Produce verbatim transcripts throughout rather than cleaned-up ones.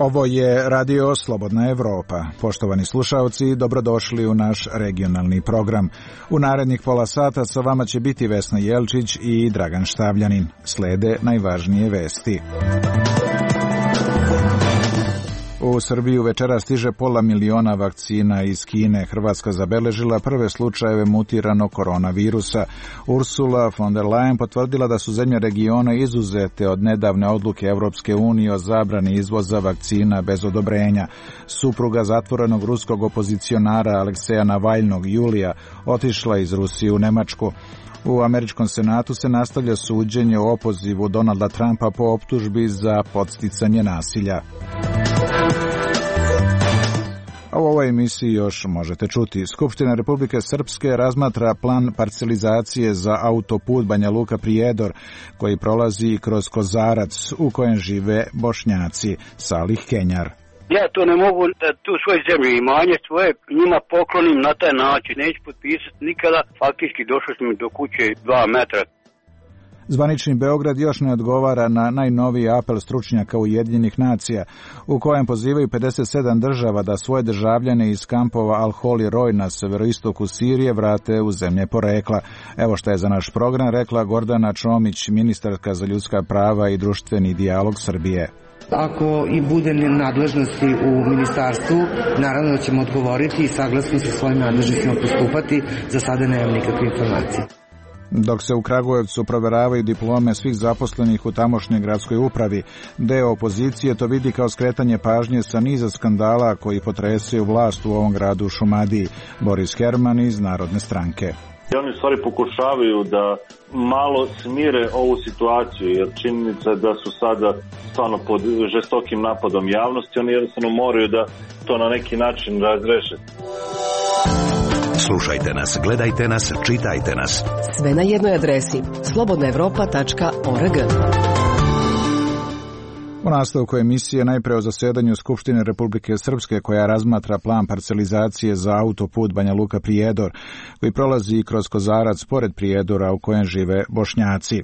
Ovo je Radio Slobodna Evropa. Poštovani slušaoci, dobrodošli u naš regionalni program. U narednih pola sata sa vama će biti Vesna Jelčić i Dragan Štavljanin. Slede najvažnije vesti. U Srbiju večera stiže pola miliona vakcina iz Kine. Hrvatska zabeležila prve slučajeve mutiranog koronavirusa. Ursula von der Leyen potvrdila da su zemlje regiona izuzete od nedavne odluke Evropske unije o zabrani izvoza vakcina bez odobrenja. Supruga zatvorenog ruskog opozicionara Alekseja Navaljnog Julija otišla iz Rusije u Nemačku. U američkom senatu se nastavlja suđenje o opozivu Donalda Trumpa po optužbi za podsticanje nasilja. A u ovoj emisiji još možete čuti. Skupština Republike Srpske razmatra plan parcelizacije za autoput Banja Luka-Prijedor, koji prolazi kroz Kozarac, u kojem žive Bošnjaci. Salih Kenjar. Ja to ne mogu da tu svoje zemlje imanje svoje njima poklonim na taj način. Neću potpisati nikada. Faktički došli smo do kuće dva metra. Zvanični Beograd još ne odgovara na najnoviji apel stručnjaka Ujedinjenih nacija, u kojem pozivaju pedeset sedam država da svoje državljane iz kampova Al-Hol i Roj na severoistoku Sirije vrate u zemlje porekla. Evo šta je za naš program rekla Gordana Čomić, ministarka za ljudska prava i društveni dijalog Srbije. Ako i bude nadležnosti u ministarstvu, naravno da ćemo odgovoriti i saglasno sa svojim nadležnostima postupati. Za sada nemam nikakve informacije. Dok se u Kragujevcu proveravaju diplome svih zaposlenih u tamošnjoj gradskoj upravi, deo opozicije to vidi kao skretanje pažnje sa niza skandala koji potresaju vlast u ovom gradu Šumadiji. Boris Herman iz Narodne stranke. Oni u stvari pokušavaju da malo smire ovu situaciju, jer činjenica da su sada stvarno pod žestokim napadom javnosti, oni jednostavno moraju da to na neki način razreše. Slušajte nas, gledajte nas, čitajte nas. Sve na jednoj adresi slobodna evropa tačka org. U nastavku emisije najpre o zasedanju Skupštine Republike Srpske koja razmatra plan parcelizacije za autoput Banja Luka-Prijedor, koji prolazi kroz Kozarac pored Prijedora u kojem žive Bošnjaci.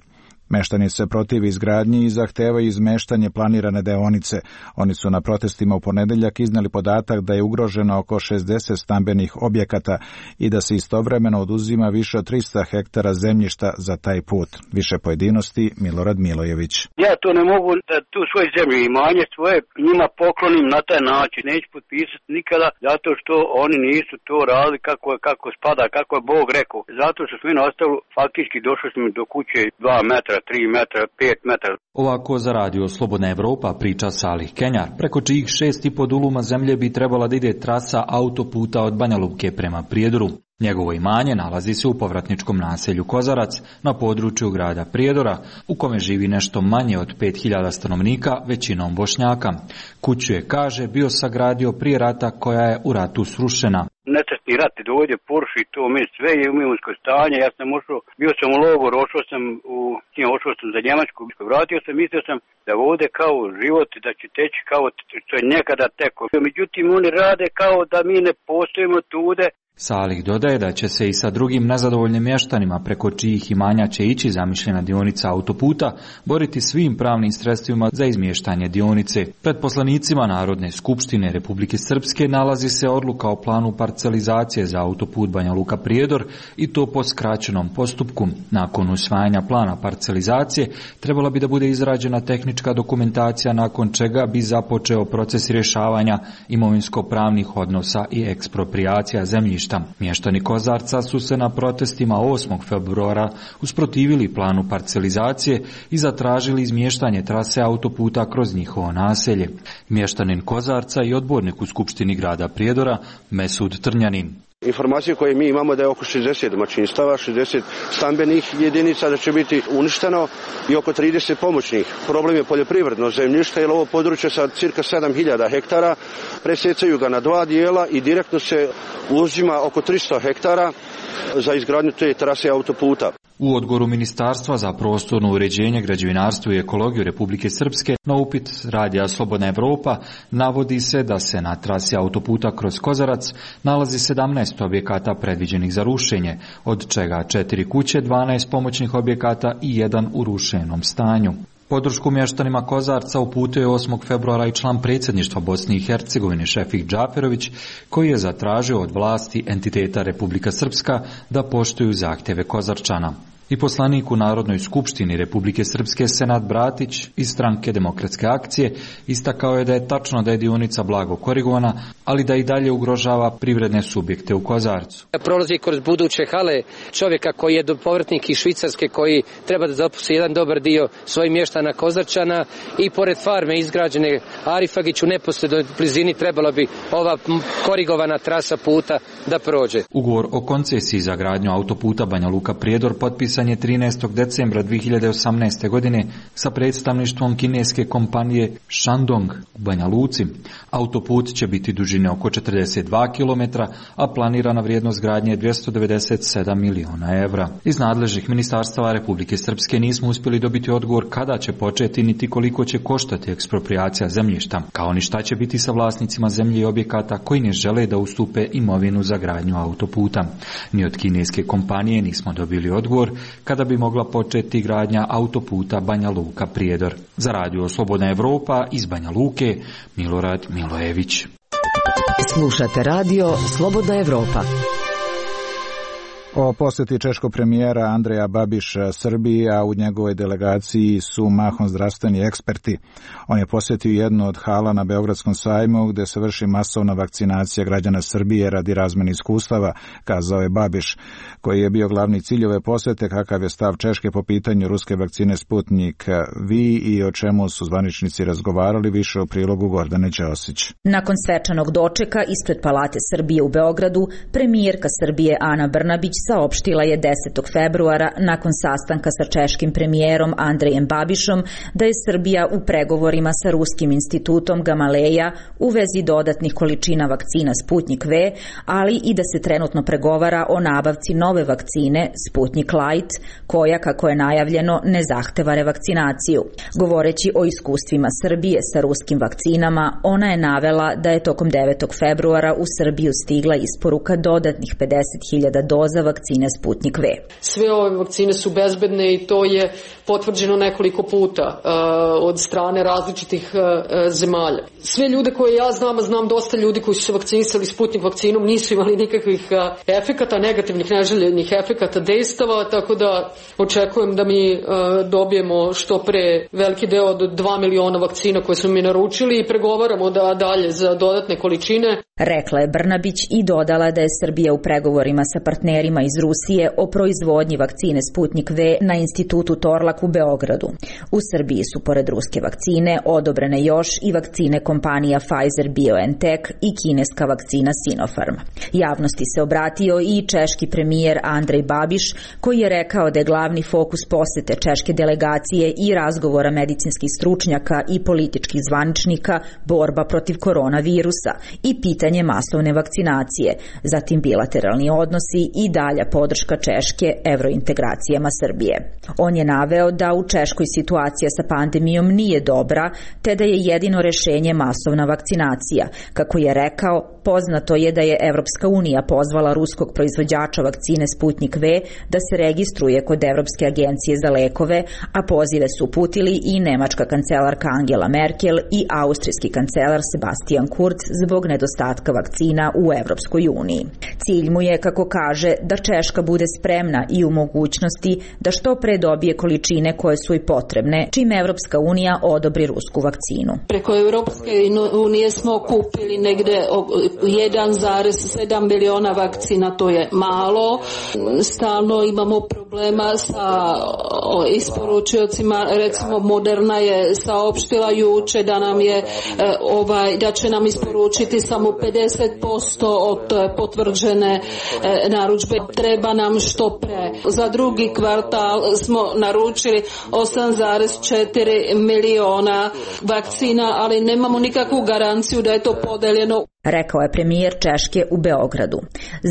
Meštani se protive izgradnji i zahtevaju izmeštanje planirane deonice. Oni su na protestima u ponedeljak iznali podatak da je ugroženo oko šezdeset stambenih objekata i da se istovremeno oduzima više od trista hektara zemljišta za taj put. Više pojedinosti Milorad Milojević. Ja to ne mogu da tu svoje zemlje imanje svoje njima poklonim na taj način. Neću potpisati nikada zato što oni nisu to radili kako, kako spada, kako je Bog rekao. Zato što smo nastavili, faktički došli smo do kuće dva metra. tri metra, pet metara. Ovako za Radio Slobodna Evropa priča Salih Kenjar, preko čijih šest i po duluma zemlje bi trebala da ide trasa autoputa od Banja Luke prema Prijedoru. Njegovo imanje nalazi se u povratničkom naselju Kozarac na području grada Prijedora, u kome živi nešto manje od pet hiljada stanovnika, većinom Bošnjaka. Kuću je, kaže, bio sagradio prije rata koja je u ratu srušena. Nesretni rat dođe, poruši to, mi sve je u imovinsko stanje, ja sam ušao, bio sam u logor, ošao sam u, ošao sam za Njemačku, vratio sam, mislio sam da ovdje kao život, da će teći kao što je nekada teko. Međutim, oni rade kao da mi ne postojimo tude. Salih dodaje da će se i sa drugim nezadovoljnim mještanima preko čijih imanja će ići zamišljena dionica autoputa boriti svim pravnim sredstvima za izmještanje dionice. Pred poslanicima Narodne skupštine Republike Srpske nalazi se odluka o planu parcelizacije za autoput Banja Luka-Prijedor i to po skraćenom postupku. Nakon usvajanja plana parcelizacije trebala bi da bude izrađena tehnička dokumentacija nakon čega bi započeo proces rješavanja imovinsko-pravnih odnosa i eksproprijacija zemljišta. Mještani Kozarca su se na protestima osmog februara usprotivili planu parcelizacije i zatražili izmještanje trase autoputa kroz njihovo naselje. Mještanin Kozarca i odbornik u Skupštini grada Prijedora Mesud Trnjanin. Informacije koje mi imamo da je oko šezdeset domaćinstava, šezdeset stambenih jedinica da će biti uništeno i oko trideset pomoćnih. Problem je poljoprivredno zemljište, jer ovo područje sa cirka sedam hiljada hektara presecaju ga na dva dijela i direktno se uzima oko tristo hektara za izgradnju te trase autoputa. U odgovoru Ministarstva za prostorno uređenje, građevinarstvo i ekologiju Republike Srpske na upit Radija Slobodna Evropa navodi se da se na trasi autoputa kroz Kozarac nalazi sedamnaest objekata predviđenih za rušenje, od čega četiri kuće, dvanaest pomoćnih objekata i jedan u rušenom stanju. Podršku mještanima Kozarca uputio je osmog februara i član predsjedništva Bosne i Hercegovine Šefik Džaferović, koji je zatražio od vlasti entiteta Republika Srpska da poštuju zahtjeve Kozarčana. I poslanik u Narodnoj skupštini Republike Srpske Senad Bratić iz stranke Demokratske akcije istakao je da je tačno da je dionica blago korigovana, ali da i dalje ugrožava privredne subjekte u Kozarcu. Prolazi kroz buduće hale čovjeka koji je povratnik iz Švicarske, koji treba da zaposli jedan dobar dio svojih mještana Kozarčana, i pored farme izgrađene Arifagić u neposrednoj blizini trebalo bi ova korigovana trasa puta da prođe. Ugovor o koncesiji za gradnju autoputa Banja Luka Prijedor potpisan je trinaestog decembra dvije hiljade osamnaeste. godine sa predstavništvom kineske kompanije Shandong u Banja Luci. Autoput će biti dužine oko četrdeset dva kilometra, a planirana vrijednost gradnje je dvjesto devedeset sedam miliona evra. Iz nadležnih ministarstava Republike Srpske nismo uspjeli dobiti odgovor kada će početi niti koliko će koštati eksproprijacija zemljišta, kao ni šta će biti sa vlasnicima zemlje i objekata koji ne žele da ustupe imovinu za gradnju autoputa. Ni od kineske kompanije nismo dobili odgovor kada bi mogla početi gradnja autoputa Banja Luka Prijedor. Za radio Slobodna Evropa iz Banja Luke, Milorad Milojević. Slušate radio Slobodna Evropa. O posjeti češkog premijera Andreja Babiša Srbiji, a u njegovoj delegaciji su mahom zdravstveni eksperti. On je posjetio jednu od hala na Beogradskom sajmu gdje se vrši masovna vakcinacija građana Srbije radi razmjene iskustava, kazao je Babiš, koji je bio glavni cilj ove posjete, kakav je stav Češke po pitanju ruske vakcine Sputnik V i o čemu su zvaničnici razgovarali, više u prilogu Gordane Ćosić. Nakon svečanog dočeka ispred Palate Srbije u Beogradu, premijerka Srbije Ana Brnabić saopštila je desetog februara nakon sastanka sa češkim premijerom Andrejem Babišom da je Srbija u pregovorima sa ruskim institutom Gamaleja u vezi dodatnih količina vakcina Sputnik V, ali i da se trenutno pregovara o nabavci nove vakcine Sputnik Light, koja, kako je najavljeno, ne zahteva revakcinaciju. Govoreći o iskustvima Srbije sa ruskim vakcinama, ona je navela da je tokom devetog februara u Srbiju stigla isporuka dodatnih pedeset hiljada doza vakcine Sputnik V. Sve ove vakcine su bezbedne i to je potvrđeno nekoliko puta uh, od strane različitih uh, zemalja. Sve ljude koje ja znam, a znam dosta ljudi koji su se vakcinisali Sputnik vakcinom, nisu imali nikakvih uh, efekata, negativnih, neželjenih efekata, dejstava, tako da očekujem da mi uh, dobijemo što pre veliki deo od dva miliona vakcina koje smo mi naručili i pregovaramo da dalje za dodatne količine. Rekla je Brnabić i dodala da je Srbija u pregovorima sa partnerima iz Rusije o proizvodnji vakcine Sputnik V na institutu Torlak u Beogradu. U Srbiji su pored ruske vakcine odobrene još i vakcine kompanija Pfizer-BioNTech i kineska vakcina Sinopharm. Javnosti se obratio i češki premijer Andrej Babiš, koji je rekao da je glavni fokus posete češke delegacije i razgovora medicinskih stručnjaka i političkih zvaničnika borba protiv koronavirusa i pitanje masovne vakcinacije, zatim bilateralni odnosi i dalja podrška Češke evrointegracijama Srbije. On je naveo da u Češkoj situacija sa pandemijom nije dobra, te da je jedino rješenje masovna vakcinacija. Kako je rekao, poznato je da je Evropska unija pozvala ruskog proizvođača vakcine Sputnik V da se registruje kod Evropske agencije za lekove, a pozive su uputili i nemačka kancelarka Angela Merkel i austrijski kancelar Sebastian Kurz zbog nedostatka vakcina u Evropskoj uniji. Cilj mu je, kako kaže, da Češka bude spremna i u mogućnosti da što pre dobije količine koje su i potrebne, čim Evropska unija odobri rusku vakcinu. Preko Evropske unije smo kupili negde jedan zarez sedam miliona vakcina, to je malo. Stalno imamo problema sa isporučiocima, recimo Moderna je saopštila juče da nam je ovaj da će nam isporučiti samo pedeset posto od potvrđene narudžbe. Treba nam što pre. Za drugi kvartal smo naručili osam zarez četiri miliona vakcina, ali nemamo nikakvu garanciju da je to podeljeno. Rekao je premijer Češke u Beogradu.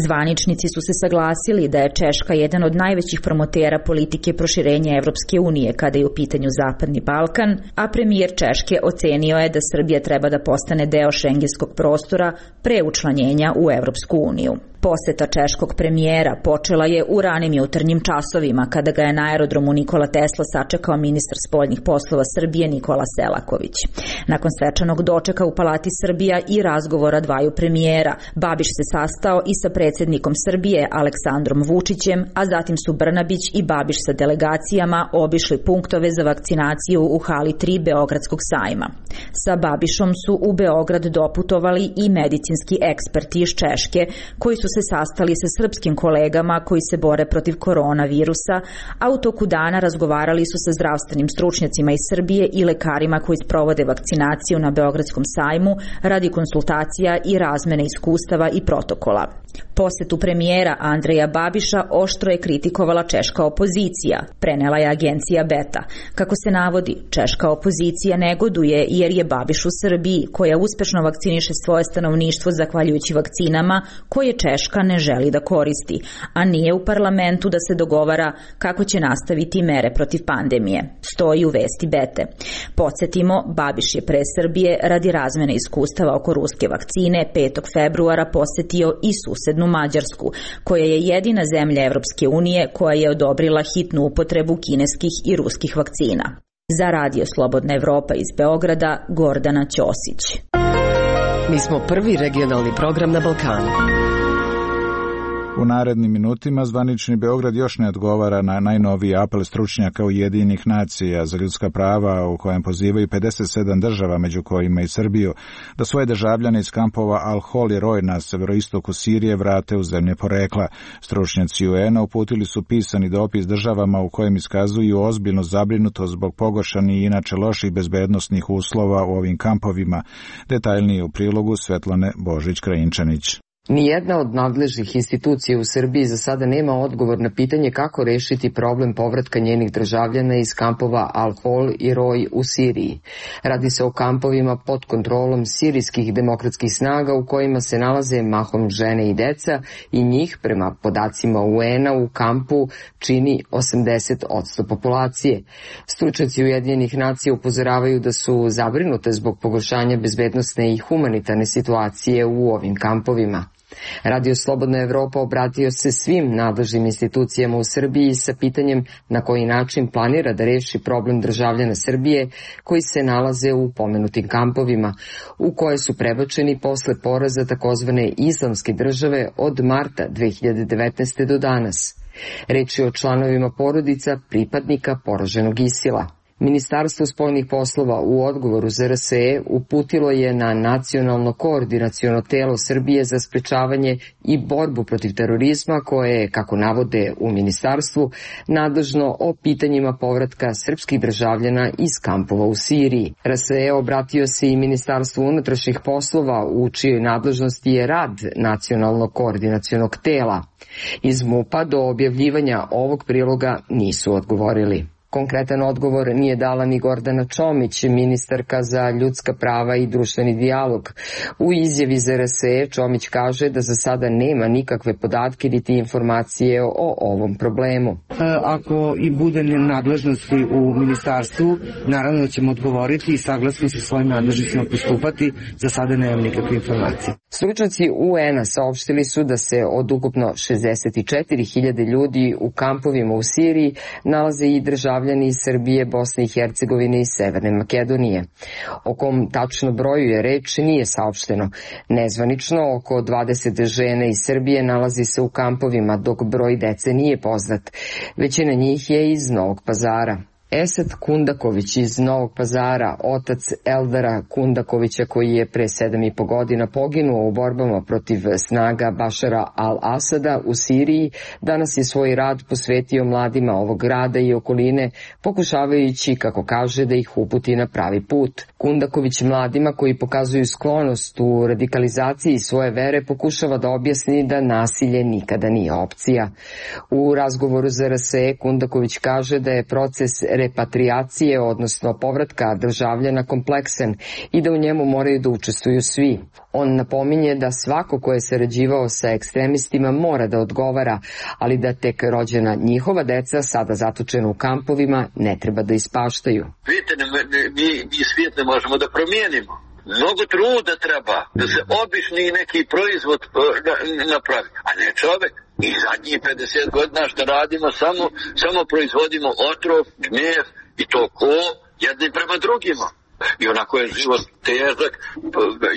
Zvaničnici su se saglasili da je Češka jedan od najvećih promotera politike proširenja Evropske unije kada je u pitanju Zapadni Balkan, a premijer Češke ocenio je da Srbija treba da postane deo šengenskog prostora pre učlanjenja u Evropsku uniju. Poseta češkog premijera počela je u ranim jutarnjim časovima kada ga je na aerodromu Nikola Tesla sačekao ministar spoljnih poslova Srbije Nikola Selaković. Nakon svečanog dočeka u Palati Srbija i razgovora dvaju premijera, Babiš se sastao i sa predsjednikom Srbije Aleksandrom Vučićem, a zatim su Brnabić i Babiš sa delegacijama obišli punktove za vakcinaciju u hali tri Beogradskog sajma. Sa Babišom su u Beograd doputovali i medicinski eksperti iz Češke, koji su se sastali sa srpskim kolegama koji se bore protiv koronavirusa, a u toku dana razgovarali su sa zdravstvenim stručnjacima iz Srbije i lekarima koji sprovode vakcinaciju na Beogradskom sajmu radi konsultacija i razmene iskustava i protokola. Posetu premijera Andreja Babiša oštro je kritikovala češka opozicija, prenela je agencija Beta. Kako se navodi, češka opozicija negoduje jer je Babiš u Srbiji, koja uspešno vakciniše svoje stanovništvo zahvaljujući vakcinama koje Češka ne želi da koristi, a nije u parlamentu da se dogovara kako će nastaviti mere protiv pandemije, stoji u vesti Bete. Podsjetimo, Babiš je pre Srbije radi razmene iskustava oko ruske vakcine petog februara posetio i susednu Mađarsku, koja je jedina zemlja Evropske unije koja je odobrila hitnu upotrebu kineskih i ruskih vakcina. Za Radio Slobodna Evropa iz Beograda, Gordana Ćosić. Mi smo prvi regionalni program na Balkanu. U narednim minutima zvanični Beograd još ne odgovara na najnoviji apel stručnjaka Ujedinjenih nacija za ljudska prava u kojem pozivaju pedeset sedam država, među kojima i Srbiju, da svoje državljane iz kampova Al-Hol i Roj na severoistoku Sirije vrate u zemlje porekla. Stručnjaci U N-a uputili su pisani dopis državama u kojem iskazuju ozbiljnu zabrinutost zbog pogoršanih i inače loših bezbednosnih uslova u ovim kampovima. Detaljnije u prilogu Svetlane Božić-Krajinčanić. Nijedna od nadležnih institucija u Srbiji za sada nema odgovor na pitanje kako rešiti problem povratka njenih državljana iz kampova Al-Hol i Roj u Siriji. Radi se o kampovima pod kontrolom sirijskih demokratskih snaga u kojima se nalaze mahom žene i deca i njih, prema podacima U N-a, u kampu čini osamdeset posto populacije. Stručnjaci Ujedinjenih nacija upozoravaju da su zabrinute zbog pogoršanja bezbednosne i humanitarne situacije u ovim kampovima. Radio Slobodna Evropa obratio se svim nadležnim institucijama u Srbiji sa pitanjem na koji način planira da reši problem državljana Srbije koji se nalaze u pomenutim kampovima, u koje su prebačeni posle poraza takozvane islamske države od marta dve hiljade devetnaeste. do danas. Reč je o članovima porodica pripadnika poraženog Isila. Ministarstvo spoljnih poslova u odgovoru za R S E uputilo je na Nacionalno koordinaciono telo Srbije za sprečavanje i borbu protiv terorizma koje je, kako navode u ministarstvu, nadležno o pitanjima povratka srpskih državljana iz kampova u Siriji. R S E obratio se i Ministarstvu unutrašnjih poslova u čijoj nadležnosti je rad Nacionalnog koordinacionog tela. Iz M U P-a do objavljivanja ovog priloga nisu odgovorili. Konkretan odgovor nije dala ni Gordana Čomić, ministarka za ljudska prava i društveni dijalog. U izjavi za R S E Čomić kaže da za sada nema nikakve podatke niti informacije o ovom problemu. Ako i bude nadležnosti u ministarstvu, naravno da ćemo odgovoriti i saglasno sa svojim nadležnicima postupati. Za sada nemam nikakve informacije. Stručnjaci U N-a saopštili su da se od ukupno šezdeset četiri hiljade ljudi u kampovima u Siriji nalaze i državljani iz Srbije, Bosne i Hercegovine i Severne Makedonije. O kom tačno broju je reč nije saopšteno. Nezvanično oko dvadeset žena iz Srbije nalazi se u kampovima, dok broj dece nije poznat. Većina njih je iz Novog Pazara. Esad Kundaković iz Novog Pazara, otac Eldara Kundakovića koji je pre sedam i po godina poginuo u borbama protiv snaga Bašara al-Asada u Siriji, danas je svoj rad posvetio mladima ovog grada i okoline, pokušavajući, kako kaže, da ih uputi na pravi put. Kundaković mladima koji pokazuju sklonost u radikalizaciji svoje vere pokušava da objasni da nasilje nikada nije opcija. U razgovoru za R S E Kundaković kaže da je proces repatriacije, odnosno povratka državljana, kompleksan i da u njemu moraju da učestvuju svi. On napominje da svako ko je sarađivao sa ekstremistima mora da odgovara, ali da tek rođena njihova deca, sada zatočena u kampovima, ne treba da ispaštaju. Vidite, mi, mi svijet ne možemo da promijenimo. Mnogo truda treba da se obični neki proizvod napravi, a ne čovek. I zadnjih pedeset godina što radimo, samo, samo proizvodimo otrov, gnjev i to ko jedni prema drugima. I onako je život težak,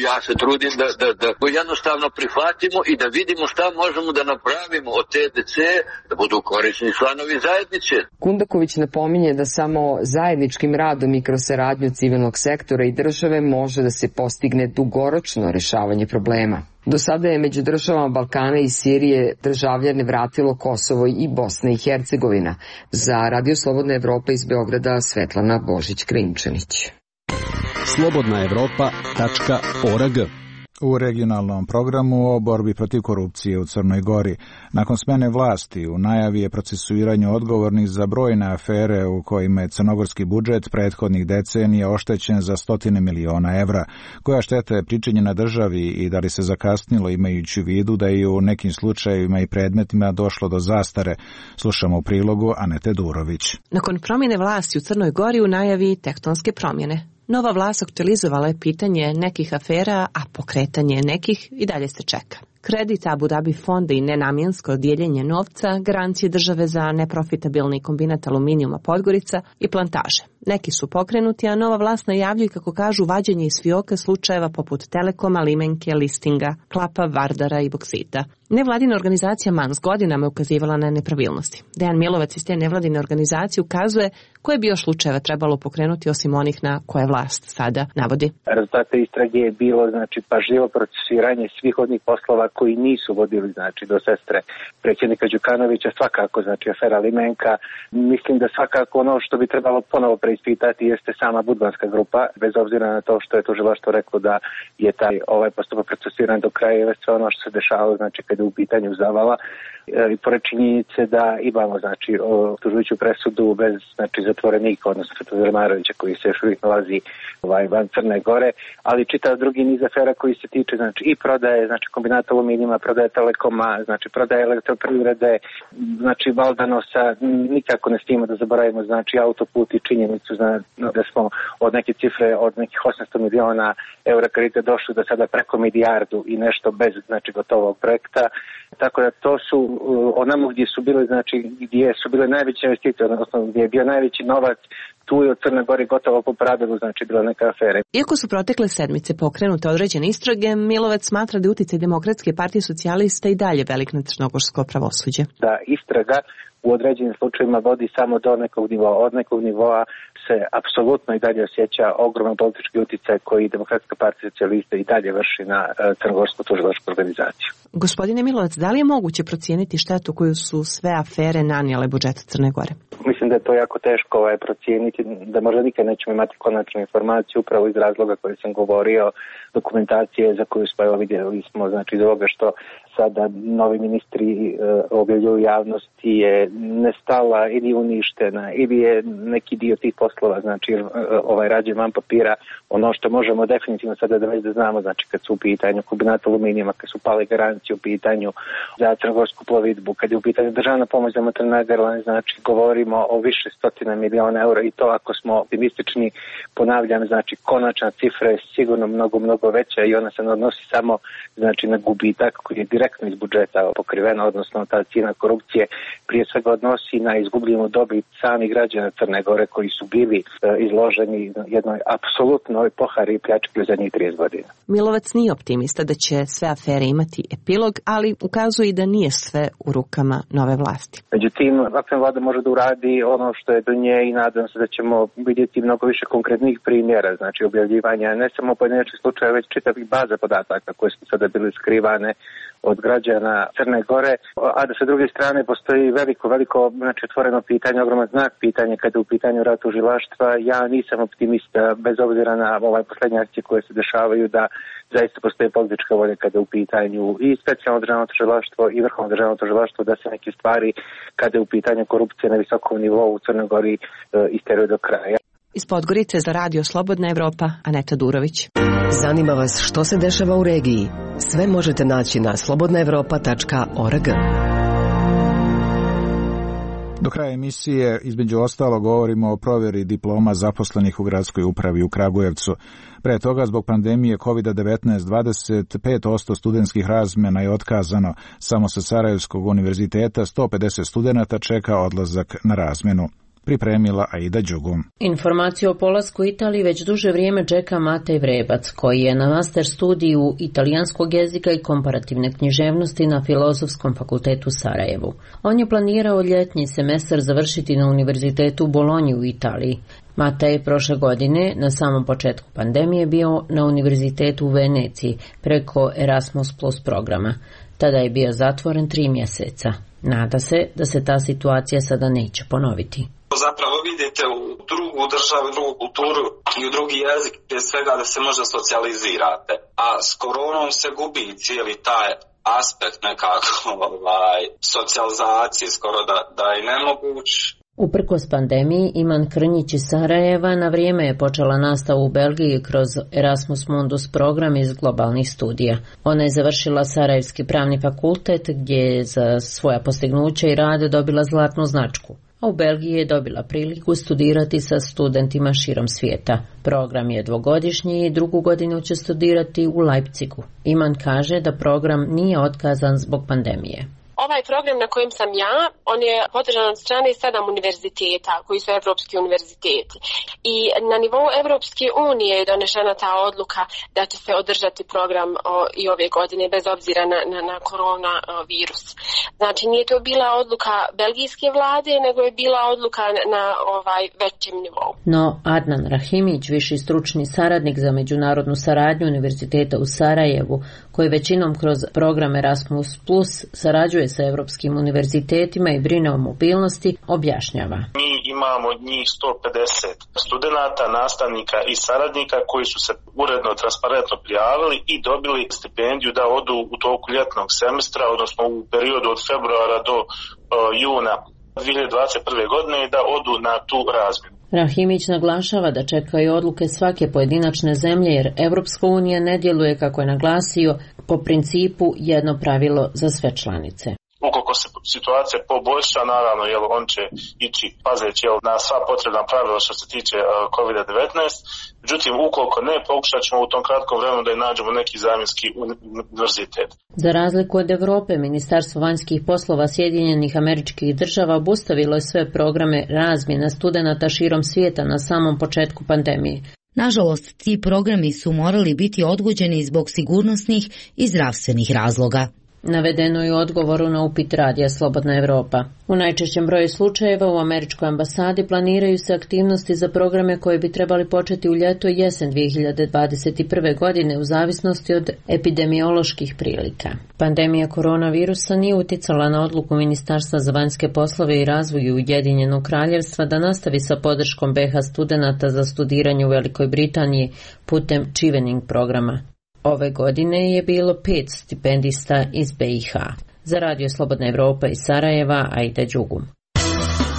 ja se trudim da, da, da jednostavno prihvatimo i da vidimo šta možemo da napravimo od te dece, da budu korisni članovi zajednice. Kundaković napominje da samo zajedničkim radom i kroz saradnju civilnog sektora i države može da se postigne dugoročno rešavanje problema. Do sada je među državama Balkana i Sirije državljane vratilo Kosovo i Bosna i Hercegovina. Za Radio Slobodna Evropa iz Beograda Svetlana Božić-Krinčanić. slobodna evropa tačka org. U regionalnom programu o borbi protiv korupcije u Crnoj Gori. Nakon smene vlasti u najavi je procesuiranje odgovornih za brojne afere u kojima je crnogorski budžet prethodnih decenija oštećen za stotine miliona evra. Koja šteta je pričinjena državi i da li se zakasnilo imajući u vidu da je u nekim slučajevima i predmetima došlo do zastare? Slušamo u prilogu Anete Durović. Nakon promjene vlasti u Crnoj Gori u najavi tektonske promjene. Nova vlast aktualizovala je pitanje nekih afera, a pokretanje nekih i dalje se čeka. Kredit Abu Dhabi fonda i nenamjensko dijeljenje novca, garancije države za neprofitabilni kombinat aluminijuma Podgorica i plantaže. Neki su pokrenuti, a nova vlast najavljuje, kako kažu, vađenje iz fioka slučajeva poput Telekoma, Limenke, Listinga, Klapa, Vardara i Boksita. Nevladina organizacija Mans godinama je ukazivala na nepravilnosti. Dejan Milovac iz te nevladine organizacije ukazuje koje bi još slučajeva trebalo pokrenuti osim onih na koje vlast sada navodi. Rezultate istrage je bilo znači pažljivo procesuiranje svih onih poslova koji nisu vodili znači do sestre predsjednika Đukanovića, svakako znači afera Limenka. Mislim da svakako ono što bi trebalo ponovo preispitati jeste sama budbanska grupa, bez obzira na to što je tužilaštvo reklo da je taj ovaj postupak procesuiran do kraja i sve ono što se dešavalo znači kada u pitanju Zavala i pored činjenice da imamo znači optužujuću presudu bez znači zatvorenika, odnosno Svetozara Marovića koji se još uvijek nalazi ovaj, van Crne Gore, ali čitav drugi niz afera koji se tiče znači i prodaje znači kombinata aluminijuma, prodaje Telekoma, znači prodaje elektroprivrede, znači Valdanosa, nikako ne smijemo da zaboravimo znači autoput i činjenicu znači, da smo od neke cifre od nekih osamsto miliona eura kredita došli do sada preko milijardu i nešto bez znači gotovog projekta. Tako da to su onamo gdje su bile znači gdje su bile najveće investicije, odnosno gdje je bio najveći novac, tu je u Crnoj Gori gotovo po pravilu znači bila neka afera. Iako su protekle sedmice pokrenute određene istrage, Milovac smatra da je uticaj Demokratske partije socijalista i dalje velik na crnogorsko pravosuđe. Da istraga u određenim slučajevima vodi samo do nekog nivoa. Od nekog nivoa se apsolutno i dalje osjeća ogroman politički uticaj koji Demokratska partija socijalista i dalje vrši na crnogorsku tužilačku organizaciju. Gospodine Milovac, da li je moguće procijeniti štetu koju su sve afere nanijele budžetu Crne Gore? Mislim da je to jako teško ovaj, procijeniti, da možda nikad nećemo imati konačnu informaciju upravo iz razloga koji sam govorio, dokumentacije za koju smo evo vidjeli smo, znači iz ovoga što sada novi ministri e, objavljuju javnosti je nestala ili uništena ili je neki dio tih poslova, znači e, ovaj rađe van papira, ono što možemo definitivno sada da već da znamo, znači kad su u pitanju kombinat aluminijuma, kad su pale garancije u pitanju za crnogorsku plovidbu, kad je u pitanju državna pomoć za maternal airline, znači govorimo o više stotina miliona eura i to ako smo optimistični, ponavljam, znači konačna cifra je sigurno mnogo, mnogo veća i ona se ne odnosi samo znači na gubitak koji je direktno iz budžeta pokrivena, odnosno ta cijena korupcije prije svega odnosi na izgubljenu dobit samih građana Crne Gore koji su bili e, izloženi jednoj apsolutnoj pohari i pljački u zadnjih trideset godina. Milovac nije optimista da će sve afere imati epilog, ali ukazuje i da nije sve u rukama nove vlasti. Međutim, aktualna vlada može da uradi ono što je do nje i nadam se da ćemo vidjeti mnogo više konkretnih primjera, znači objavljivanja ne samo pojedinačnih slučajeva, već čitavih baza podataka koje su sada bile skrivane od građana Crne Gore, a da sa druge strane postoji veliko, veliko znači otvoreno pitanje, ogroman znak pitanja kada je u pitanju rad tužilaštva. Ja nisam optimista, bez obzira na ovaj posljednje akcije koje se dešavaju, da zaista postoji politička volja kada je u pitanju i specijalno državno tužilaštvo i vrhovno državno tužilaštvo da se neke stvari kada je u pitanju korupcije na visokom nivou u Crnoj Gori e, isteruje do kraja. Iz Podgorice za Radio Slobodna Evropa, Aneta Durović. Zanima vas što se dešava u regiji? Sve možete naći na slobodna evropa tačka org. Do kraja emisije između ostalo govorimo o provjeri diploma zaposlenih u gradskoj upravi u Kragujevcu. Pre toga zbog pandemije kovid devetnaest dvadeset pet posto studentskih razmjena je otkazano. Samo sa Sarajevskog univerziteta sto pedeset studenata čeka odlazak na razmjenu. Pripremila Aida Đugum. Informaciju o polasku Italiji već duže vrijeme čeka Matej Vrebac, koji je na master studiju italijanskog jezika i komparativne književnosti na Filozofskom fakultetu u Sarajevu. On je planirao ljetnji semestar završiti na univerzitetu u Bolonji u Italiji. Matej je prošle godine, na samom početku pandemije, bio na univerzitetu u Veneciji preko Erasmus plus programa. Tada je bio zatvoren tri mjeseca. Nada se da se ta situacija sada neće ponoviti. Zapravo vidite u drugu državu, drugu kulturu i u drugi jezik prije svega da se možda socijalizirate. A s koronom se gubi cijeli taj aspekt nekako ovaj, socijalizacije, skoro da, da je nemoguć. Uprkos pandemiji, Iman Krnjić iz Sarajeva na vrijeme je počela nastavu u Belgiji kroz Erasmus Mundus program iz globalnih studija. Ona je završila Sarajevski pravni fakultet gdje je za svoja postignuća i rad dobila zlatnu značku. A u Belgiji je dobila priliku studirati sa studentima širom svijeta. Program je dvogodišnji i drugu godinu će studirati u Leipzigu. Iman kaže da program nije otkazan zbog pandemije. Ovaj program na kojem sam ja, on je podržan od strane sedam univerziteta, koji su evropski univerziteti. I na nivou Evropske unije je donešena ta odluka da će se održati program o, i ove godine, bez obzira na, na, na koronavirus. Znači, nije to bila odluka belgijske vlade, nego je bila odluka na, na ovaj većem nivou. No, Adnan Rahimić, viši stručni saradnik za međunarodnu saradnju Univerziteta u Sarajevu, koji većinom kroz program Erasmus plus sarađuje sa evropskim univerzitetima i brine o mobilnosti, objašnjava. Mi imamo njih sto pedeset studenata, nastavnika i saradnika koji su se uredno, transparentno prijavili i dobili stipendiju da odu u toku ljetnog semestra, odnosno u periodu od februara do uh, juna dvije hiljade dvadeset prve. godine i da odu na tu razmjenu. Rahimić naglašava da čekaju odluke svake pojedinačne zemlje jer Evropska unija ne djeluje, kako je naglasio, po principu jedno pravilo za sve članice. Ukoliko se situacija poboljša, naravno, jel, on će ići pazeći jel, na sva potrebna pravila što se tiče uh, kovid devetnaest. Međutim, ukoliko ne, pokušat ćemo u tom kratkom vremenu da je nađemo neki zamjenski univerzitet. Za razliku od Europe, Ministarstvo vanjskih poslova Sjedinjenih Američkih Država obustavilo je sve programe razmjena studenata širom svijeta na samom početku pandemije. Nažalost, ti programi su morali biti odgođeni zbog sigurnosnih i zdravstvenih razloga. Navedeno je u odgovoru na upit radija Slobodna Evropa. U najčešćem broju slučajeva u američkoj ambasadi planiraju se aktivnosti za programe koje bi trebali početi u ljeto i jesen dvije hiljade dvadeset prve. godine u zavisnosti od epidemioloških prilika. Pandemija koronavirusa nije uticala na odluku Ministarstva za vanjske poslove i razvoj Ujedinjenog Kraljevstva da nastavi sa podrškom be ha studenata za studiranje u Velikoj Britaniji putem Chevening programa. Ove godine je bilo pet stipendista iz be i ha. Za Radio Slobodna Evropa iz Sarajeva, Aida Đugum.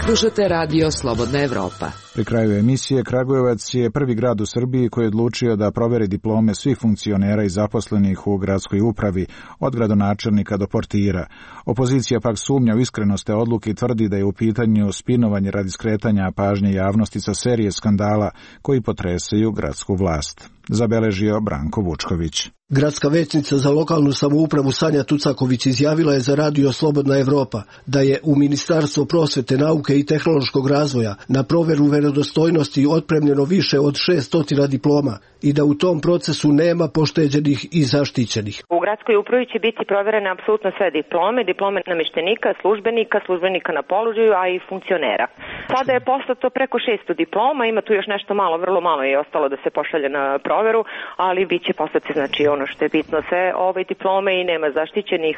Slušate Radio Slobodna Evropa. Pri kraju emisije, Kragujevac je prvi grad u Srbiji koji je odlučio da proveri diplome svih funkcionera i zaposlenih u gradskoj upravi, od gradonačelnika do portira. Opozicija pak sumnja u iskrenost te odluke i tvrdi da je u pitanju spinovanje radi skretanja pažnje javnosti sa serije skandala koji potresaju gradsku vlast. Zabeležio Branko Vučković. Gradska većnica za lokalnu samoupravu Sanja Tucaković izjavila je za Radio Slobodna Evropa da je u Ministarstvo prosvete, nauke i tehnološkog razvoja na proveru vjerodostojnosti otpremljeno više od šesto diploma i da u tom procesu nema pošteđenih i zaštićenih. U gradskoj upravi će biti proverene apsolutno sve diplome, diplome namještenika, službenika, službenika na položaju, a i funkcionera. Sada je poslato preko šesto diploma, ima tu još nešto malo, vrlo malo je ostalo da se pošalje na proveru, ali bit će poslati, znači ono što je bitno, sve ove diplome i nema zaštićenih,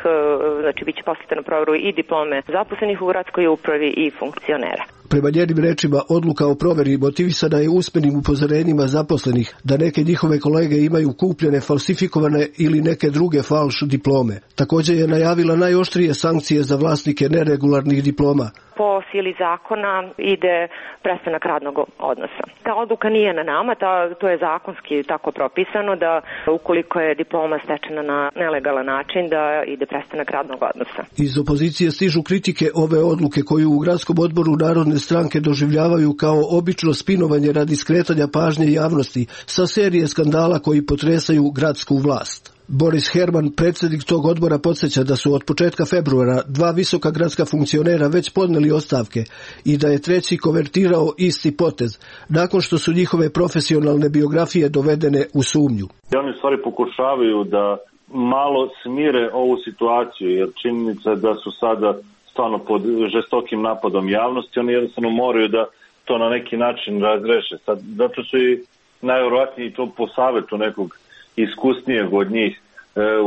znači bit će poslati na proveru i diplome zaposlenih u gradskoj upravi i funkcionera. Prema njenim rečima, odluka o proveri motivisana je usmenim upozorenjima zaposlenih da neke njihove kolege imaju kupljene, falsifikovane ili neke druge falš diplome. Također je najavila najoštrije sankcije za vlasnike neregularnih diploma. Po sili zakona ide prestanak radnog odnosa. Ta odluka nije na nama, ta, to je zakonski tako propisano da ukoliko je diploma stečena na nelegalan način da ide prestanak radnog odnosa. Iz opozicije stižu kritike ove odluke koju u gradskom odboru Narodne stranke doživljavaju kao obično spinovanje radi skretanja pažnje javnosti sa serije skandala koji potresaju gradsku vlast. Boris Herman, predsjednik tog odbora, podsjeća da su od početka februara dva visoka gradska funkcionera već podnijeli ostavke i da je treći konvertirao isti potez, nakon što su njihove profesionalne biografije dovedene u sumnju. Oni stvari pokušavaju da malo smire ovu situaciju, jer činjenica da su sada stvarno pod žestokim napadom javnosti, oni jednostavno moraju da to na neki način razreše. Sad, zato su i najvjerojatnije to po savjetu nekog iskusnijeg od njih e,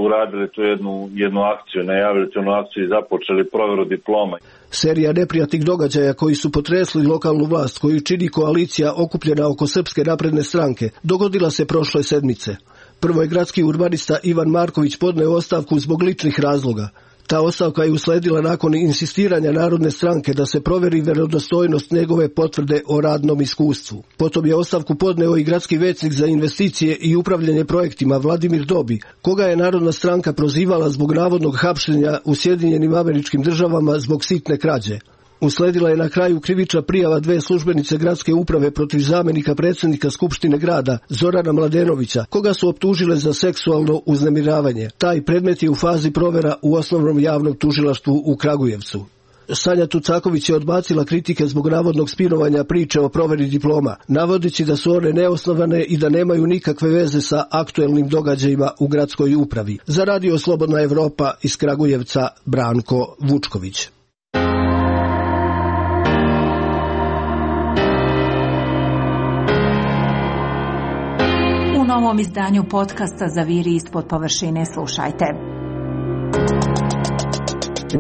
uradili tu jednu, jednu akciju, najavili tu jednu akciju i započeli provjeru diploma. Serija neprijatnih događaja koji su potresli lokalnu vlast, koju čini koalicija okupljena oko Srpske napredne stranke, dogodila se prošle sedmice. Prvo je gradski urbanista Ivan Marković podneo ostavku zbog ličnih razloga. Ta ostavka je usledila nakon insistiranja Narodne stranke da se provjeri vjerodostojnost njegove potvrde o radnom iskustvu. Potom je ostavku podneo i gradski većnik za investicije i upravljanje projektima Vladimir Dobi, koga je Narodna stranka prozivala zbog navodnog hapšenja u Sjedinjenim Američkim Državama zbog sitne krađe. Usledila je na kraju krivična prijava dve službenice gradske uprave protiv zamjenika predsjednika Skupštine grada Zorana Mladenovića, koga su optužile za seksualno uznemiravanje. Taj predmet je u fazi provjera u osnovnom javnom tužilaštvu u Kragujevcu. Sanja Tucaković je odbacila kritike zbog navodnog spinovanja priče o provjeri diploma, navodeći da su one neosnovane i da nemaju nikakve veze sa aktuelnim događajima u gradskoj upravi. Za radio Slobodna Evropa iz Kragujevca, Branko Vučković. U novom izdanju podcasta Zaviri ispod površine slušajte.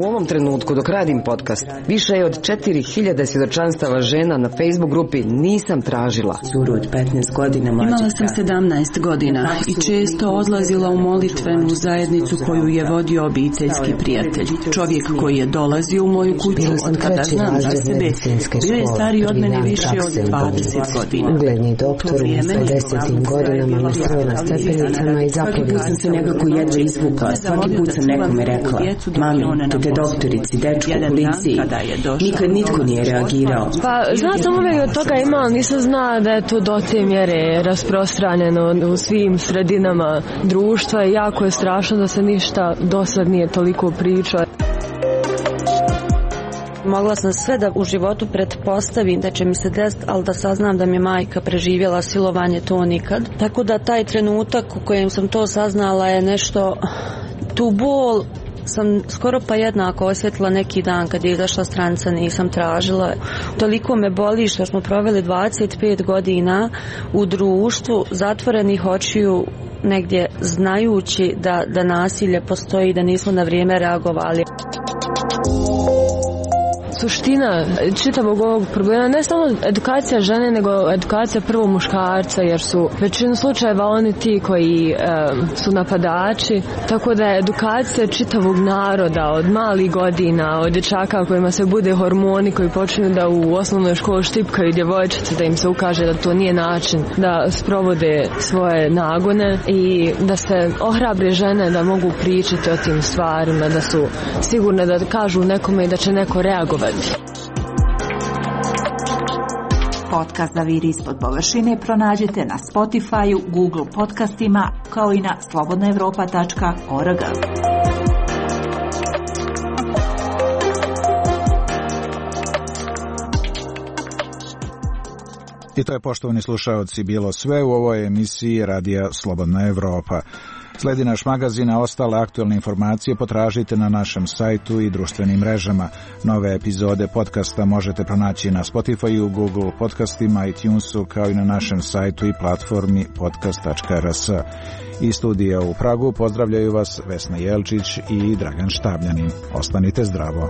U ovom trenutku dok radim podcast, više je od četiri hiljade svjedočanstava žena na Facebook grupi Nisam tražila. Curu od petnaest godina mlađe. Imala sam sedamnaest godina i često odlazila u molitvenu zajednicu koju je vodio obiteljski prijatelj. Čovjek koji je dolazio u moju kuću od kada znam za sebe, bio je stariji od mene više od dvadeset godina. Ugledni doktor u pedesetim godinama me sreo na stepenicama i zaplavio. Svaki put sam se nekako jedva izvukla, svaki put sam nekome rekla, mami, te doktorici, dečku, policiji. Nikad nitko nije reagirao. Pa, zna sam uvijek od toga ima, ali nisam zna da je to do te mjere rasprostranjeno u svim sredinama društva i jako je strašno da se ništa do sad nije toliko priča. Mogla sam sve da u životu pretpostavim da će mi se desiti, ali da saznam da mi je majka preživjela silovanje, to nikad. Tako da taj trenutak u kojem sam to saznala je nešto, tu bol sam skoro pa jednako osjetila neki dan kad je izašla stranica Nisam tražila. Toliko me boli što smo proveli dvadeset pet godina u društvu zatvorenih očiju, negdje znajući da, da nasilje postoji i da nismo na vrijeme reagovali. Suština čitavog ovog problema ne samo edukacija žene, nego edukacija prvo muškarca, jer su većinu slučajeva oni ti koji e, su napadači, tako da je edukacija čitavog naroda od malih godina, od dječaka kojima se bude hormoni, koji počinju da u osnovnoj školi štipkaju djevojčice, da im se ukaže da to nije način da sprovode svoje nagone i da se ohrabre žene da mogu pričati o tim stvarima, da su sigurne da kažu nekome i da će neko reagovati. Podcast Zaviri ispod površine pronađite na Spotify-u, Google podcastima, kao i na slobodna evropa tačka org. I to je, poštovani slušaoci, bilo sve u ovoj emisiji Radija Slobodna Evropa. Sledi naš magazin, a ostale aktualne informacije potražite na našem sajtu i društvenim mrežama. Nove epizode podcasta možete pronaći na Spotify-u, Google podcastima, iTunesu, kao i na našem sajtu i platformi podcast tačka r s. Iz studija u Pragu pozdravljaju vas Vesna Jelčić i Dragan Štabljanin. Ostanite zdravo.